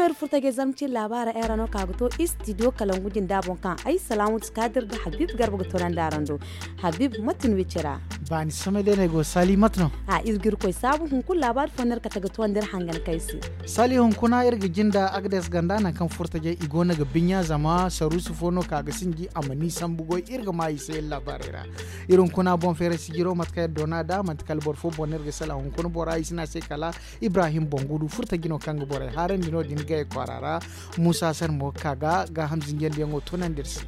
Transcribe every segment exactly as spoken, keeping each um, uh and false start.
Iri furo tajay zarma cine laabaara era no ka ga to istidiyo kalangu jinda boŋ kaŋ ay salaamatu kaadir nda habib garba ga toonandi araŋ do. Habib mate no iri cira? Baani samay day no ay go saali mate no? A iri ga iri koy saabu hunkuna laabaari fo no iri kate ga toonandi iri hangan kaŋ ay se. Saali hunkuna iri ga jinda agades ganda nangu kaŋ furo tajay i go no ga binya zama saruusu fo no ka ga sinji a ma ni sambu goy iri ga ma i se iri laabaarey ra. Iri hunkuna boŋ feeray sijiro mate kaŋ iri doona nd'a manti kala boro fo boŋ no iri ga sala hunkuna bora i si ne a se kala ibrahim boŋ gudu furo tajay no kaŋ ga borey haarandi no- din gay kwaara ra. Muusa sar mo ga ka ga gaaham zinjandiyaŋo toonandi iri se.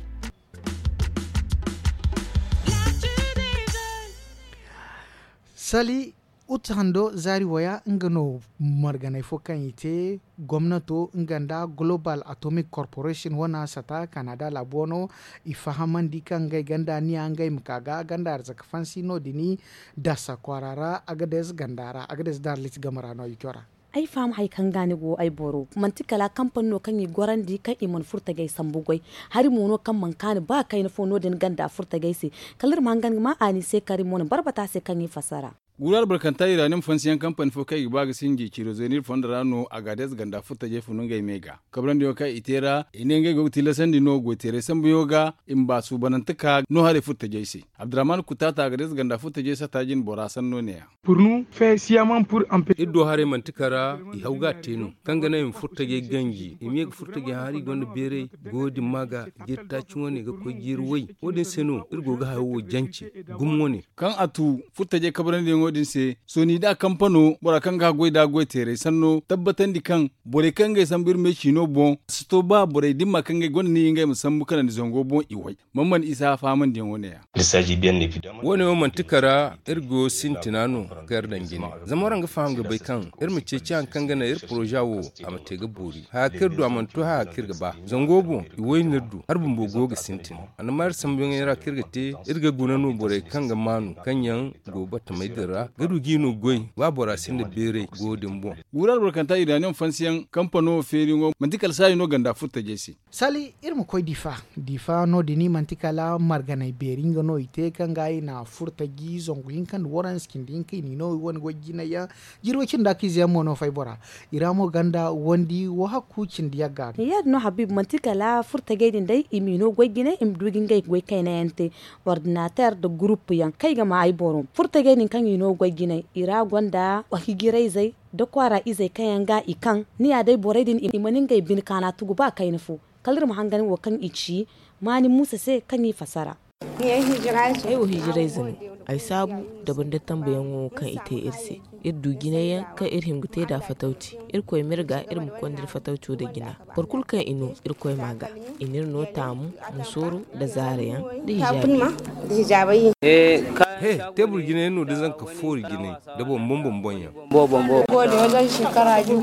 Sali utu hando zaari waya nga no marganay fo kaŋ i te gomnato nga nda global atomic corporation wana sata kanada laabu wano i fahamandi kaŋ ngey ganda niya ngey ma ka ga ganda arzaka fansi no- din dasa kwaara ra agades ganda ra agades daarlit game ra no i cora. Ay faham hari kaŋ ga ni go ay boro manti kala kampani no kaŋ i gorandi kaŋ i mana furo tajay sambu goy. Hari mo no kaŋ mana kaani ba kayna fo no- din ganda furo tajay se. Kala iri ma hangan ga ma a ni se kaŋ iri mo na barbata se kaŋ i fassara. Guuru albarkanta iraanium fansiyaŋ kampani fo kaŋ i ga ba ga sinji ciro zeenir fondo ra no a ga adez ganda furo tajay funu ngey me ga kabrandi wo kaŋ i te ra i ne ngey go ga tillasandi no goyteeray sambuyaŋo ga i ma ba suubanante ka no haray furo tajay se. Abdurrahman kutaata a ga adez ganda furo tajay sata jine bora sanno ne- ya. Iri do haray manti kara i haw ga a te no kaŋ ga naŋ i ma furo tajay ganji i ma ye ga furo tajay haŋ hari gonda beeray goyo din ma ga jeeri taaci wane ga koy jeeri way. Wo- din se no iri go ga hayo wo jance gumo wane. Kaŋ a tu furo tajay kabarandiyaŋo din se sooni da kampano bora kaŋ ga haggoy da goyteeray sanno tabbatandi kaŋ borey kaŋ ngey sambu iri me ciino boŋ si to ba borey dimma kaŋ ngey gonda ni ngey ma sambu kanandi zango boŋ i way. Mamman isa fahamandiyaŋo ne- ya. Wo- ne wo manti kara iri go sintina no kaŋ iri daŋ jine zama waraŋ ga faham ga bay kaŋ iri ma ceeci hari kaŋ ga naŋ iri poroza wo a ma te ga boori haya kaŋ iri du a mana to haya kaŋ iri ga ba zango boŋ i wayne iri du hari bumbo go ga sintin. Annama iri sambuyaŋey ra kaŋ iri ga te iri ga guna no borey kaŋ ga maanu kaŋ yaŋ go batamey din ra ga du ga i no goy ba bora sinda beeray go din boŋ. Guuru albarkanta iranium fansiyaŋ kampano feeriyaŋo manti kala saayi no ganda furo tajay se. Sali iri ma koy difa difa no- din manti kala marganay beeri nga no i te kaŋ ga i na furo taji zangu hinka nda waranza cindi hinka i n'i no i wane goy jinay yaŋ. Jirwey cindi da kiize yaŋ mo no fay bora i ra mo ganda wandi wo hakku cindi yagga. Ya- din no habib manti kala furo tajay din day i m'i no goy jinay i ma du ga ngey goy kayna yaŋ te. Ordinateer nda gurupu yaŋ kaŋ ay ga ma ay boro furo tajay din kaŋ i no goy jinay i ra gonda hijirayzey nda kwaara izey kaŋ yaŋ ga i kaŋ ni ya day borey din i mana ngey bine kaana tugu ba kayna fo. Kala iri ma hangan wo kaŋ i ci maani muusa se kaŋ i fassara. Ay wo hijirayze no. Ay saabu dabari nda tambayaŋo kaŋ i te iri se. Iri du jinay yaŋ kaŋ iri hima ga te nd'a fatawci. Irkoy ma iri ga iri ma konda iri fatawco nda jina. Boro kulu kaŋ i no irkoy m'a ga i n'iri no taamu, musooro, nda zaara yaŋ, nda hijaabi. He, teebur jina yaŋ no da zanka foori jinay nda boŋ boŋ boŋ boŋ yaŋ.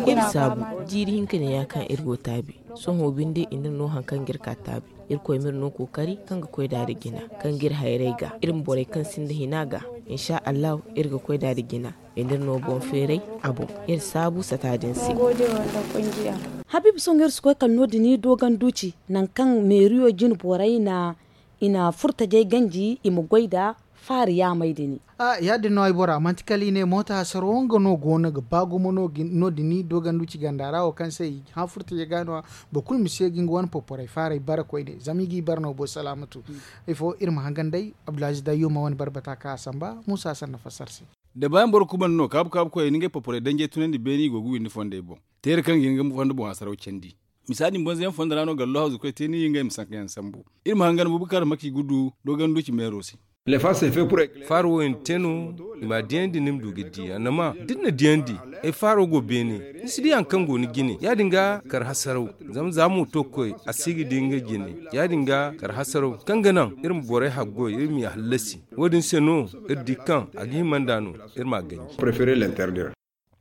Iri saabu jiiri hinka ne ya kaŋ iri go taabi. Sohõ binde i n'iri no hari kaŋ ga iri ka taabi. Irkoy m'iri no kookari kaŋ ga koy nd'a nda jina kaŋ ga iri hayray ga iri ma borey kaŋ sinda hina ga. Insa allahu, iri ga koy nd'a nda jina. I n'iri no boŋ feeray a boŋ. Iri saabu sata din se. Habiibu sohõ iri si koy kala no- din dooganduuci nangu kaŋ meeriyo jine borey na i na furtajey ganji i ma goy nda faari yaamey din. A ya- din no ay bora manti kala i ne mooto hasaro nga no go no ga ba gumo no- din dooganduuci ganda ra wo kaŋ se i hã furtajey ga no- ya. Boro kulu ma si ye ga nga wane poporay faaray bara koyne zama i g'i bara no boro salaamatu. Ifo iri ma hangan day abdulaziz dayyuma wane barbata kaŋ a samba muusa sanna fassar se. Da baayaŋ boro kubandi no kaabu kaabu koyey na ngey poporay danjey tunandi beene i go ga windi fondey boŋ. Teera kaŋ ga hin ga fondo boŋ hasaraw candi. Misa din banza yaŋ fondo ra no gallo hawzu koy te ni ngey ma sanka yaŋ sambu. Iri ma hangan bubakar maki ga du dooganduuci meero se. Faaro wo i na te no i m'a diyandi ni ma du ga di annama da ni na diyandi ay faaro go beene. Ni si di hari kaŋ go ni jine ya- din ga kar hasaraw. Zama za mo to ga koy a si ga di nga jine. Ya- din ga kar hasaraw kaŋ ga naŋ iri ma borey haggoy iri m'i hallasi. Wo- din se no iri di kaŋ a ga hima nd'a no iri m'a ganji.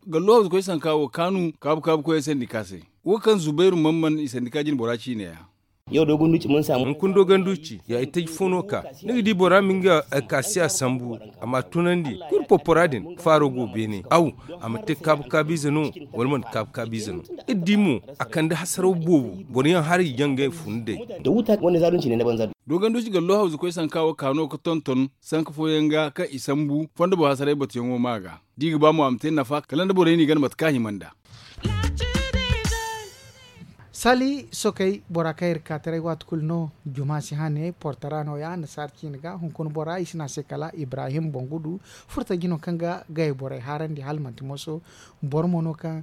Gallo hawzu koy sanka wo kaanu kaabu kaabu koyey sandi ka se. Wo kaŋ zubairu mamman i sandi ka jine bora ciine ya. Hunkuna dooganduuci ya i taji fo no ka ni ga di bora ma nga alkaasiya sambu a m'a tunandi kulu popora din faaro go beene aw a ma te kaabu kaabiize no wala manti kaabu kaabiize no. Iri di mo a kande hasaraw boobo boro yaŋ haray jangay fun day. Dooganduuci gallo hawzu koy sanka wo ka no ga tonton sanka fooyaŋ ga kaŋ i sambu fondo boŋ hasaray batuyaŋo ma ga da i ga ba mo a ma te nafa kala nda borey n'i gana mate kaŋ a hima nd'a. Sali sokey bora kaŋ iri ga ka taray waati kulu no. Juma si hane portara no- ya annasaara ciine ga hunkuna bora i si ne a se kala ibrahim bangudu. Furtaji no kaŋ ga gay borey haarandi hala manti moso. Boro mo no kaŋ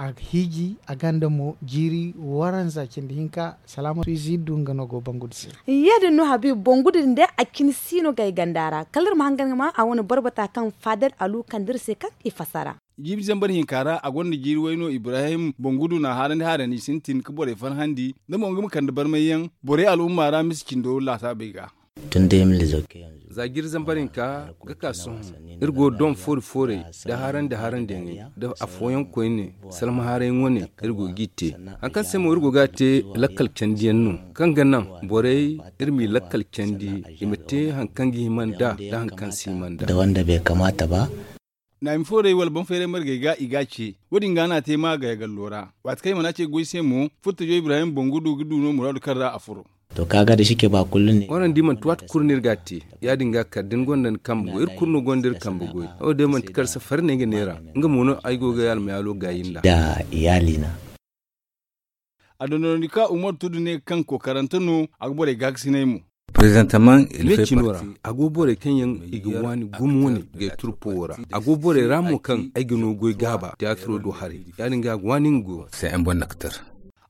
a hiiji a ganda mo jiiri waranza cindi hinka. Salaama fiizi du nga no go bangudu se. Ya- din no habiibu bangudu din day a cine si no gay ganda ra kala iri ma hangan ga ma a wane barbata kaŋ faadar alu kande iri se kaŋ i fassara. Jiibi zambar hinka ra a gonda jiiri way no ibrahim bangudu na haarandi haarandi sintin ga borey farhandi. Da mo nga ma kande barmay yaŋ borey al'umma ra misa cindo laasaabey ga. Za jiiri zambar hinka ga ka sohõ iri go don foori fooray da haarandi haarandi yaŋey da afooyaŋ koyne. Salma haaray wane iri go g'i te. Hari kaŋ se mo iri go ga a te lakkal candi yaŋ no kaŋ ga naŋ borey iri m'i lakkal candi i ma te hari kaŋ ga hima nd'a da hari kaŋ si hima nd'a. Naami foorey wala boŋ feeray margey ga i ga a ce. Wo- din ga no a te ma gaya gallo ra. Waati kaŋ i mana ce goy se mo furtajo ibrahim bangudu ga du no muraadu kaŋ ra a furo. Waranza di manti waati kulu no iri ga a te. Ya- din ga kala da ni gonda ni kambe goy iri kulu no gonda iri kambe goy. Wo- day manti kala safari no ay ga neera. Nga mo no ay go ga almayaalo gaayi nd'a. A dondonandi ka umar tudu ne kaŋ kookarante no a ga borey gaakasinay mo. Meecino ra a go borey kaŋ yaŋ i ga waani gumo wane gay turpo wo ra. A go borey ra mo kaŋ ay ga no goy gaaba tiyaatiro do haray. Ya- din ga a ga waani nga goyo.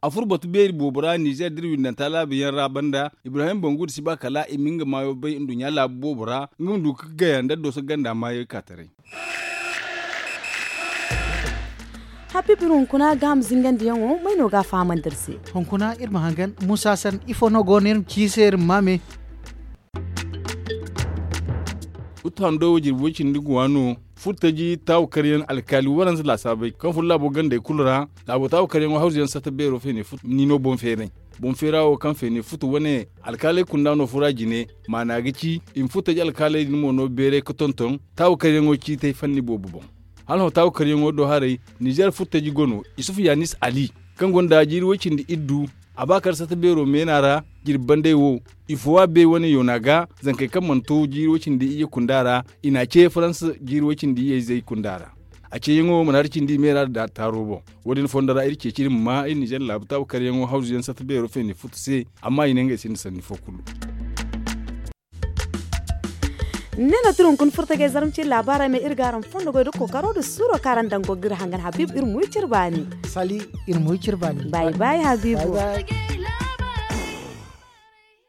A furo batu beeri boobo ra nizer da iri windanta laabu yaŋ ra banda ibrahim bangu da si ba kala i ma nga maayo bay nduɲɲa laabu boobo ra nga ma du ga gaya nda dooso ganda maayey ka taray. Habiibu iri hunkuna gaaham zingandiyaŋo may no ga a fahamandi iri se? Hunkuna iri ma hangan muusa sanda ifo no go no iri ma ci i se iri ma maame. Futu hando wo jirbi way cindi ga waano. Furtaji taawu karyaŋ alkaali waranza laasaabey kaŋ furo laabo gandey kulu ra. Laabo taawu karyaŋo hawzuyaŋ satta beero feene futu niino boŋ feeray. Boŋ feera wo kaŋ feene futu wane alkaaley kunda no fura jine. Maana ga ci i ma furtaji alkaaley din mo no beeray ga tonton taawu karyaŋo ciitay fanni boobo boŋ. Hala hõ taawu karyaŋo do haray nizer furtaji go no isufu yanis ali kaŋ gonda jiiri way cindi iddu. A ba kar satta beero meena ra jirbi banday wo. Ifo a bay wane yoona ga zankey kaŋ mana to jiiri way cindi iyye kunda ra. I n'a ce faransa jiiri way cindi iyye izey kunda ra. A ceeyaŋo mana hari cindi i meera da taaro boŋ. Wo- din fondo ra iri ceeci iri ma ma iri nizer laabu taabu karyaŋo hawzuyaŋ satta beero feene futu se. Amma i ne ngey sinda sanni fo kulu. Ne no tira hunkuna furtagey zarma cine laabaarey ma iri gaaram fondo goy da kookaro da suuro kaŋ araŋ daŋ go ga iri hangan habiibu iri ma wi cire baani. Sali iri ma wi cire baani. Baayi baayi habiibu.